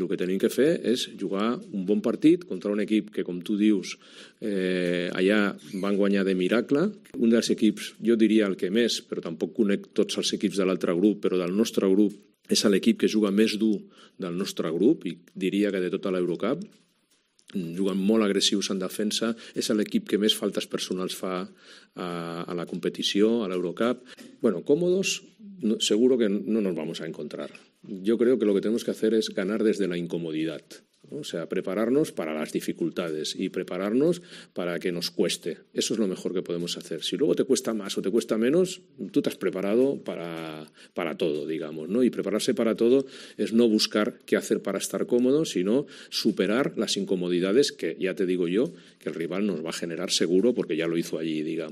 El que tenim que fer és jugar un bon partit contra un equip que, com tu dius, allà van guanyar de miracle. Un dels equips, jo diria el que més, però tampoc conec tots els equips de l'altre grup, però del nostre grup és l'equip que juga més dur del nostre grup i diria que de tota l'Eurocup. Juguen molt agressius en defensa, és l'equip que més faltes personals fa a la competició, a l'Eurocup. Bueno, cómodos, seguro que no nos vamos a encontrar. Yo creo que lo que tenemos que hacer es ganar desde la incomodidad. O sea, prepararnos para las dificultades y prepararnos para que nos cueste. Eso es lo mejor que podemos hacer. Si luego te cuesta más o te cuesta menos, tú te has preparado para todo, digamos, ¿no? Y prepararse para todo es no buscar qué hacer para estar cómodo, sino superar las incomodidades que, ya te digo yo, que el rival nos va a generar seguro porque ya lo hizo allí, digamos.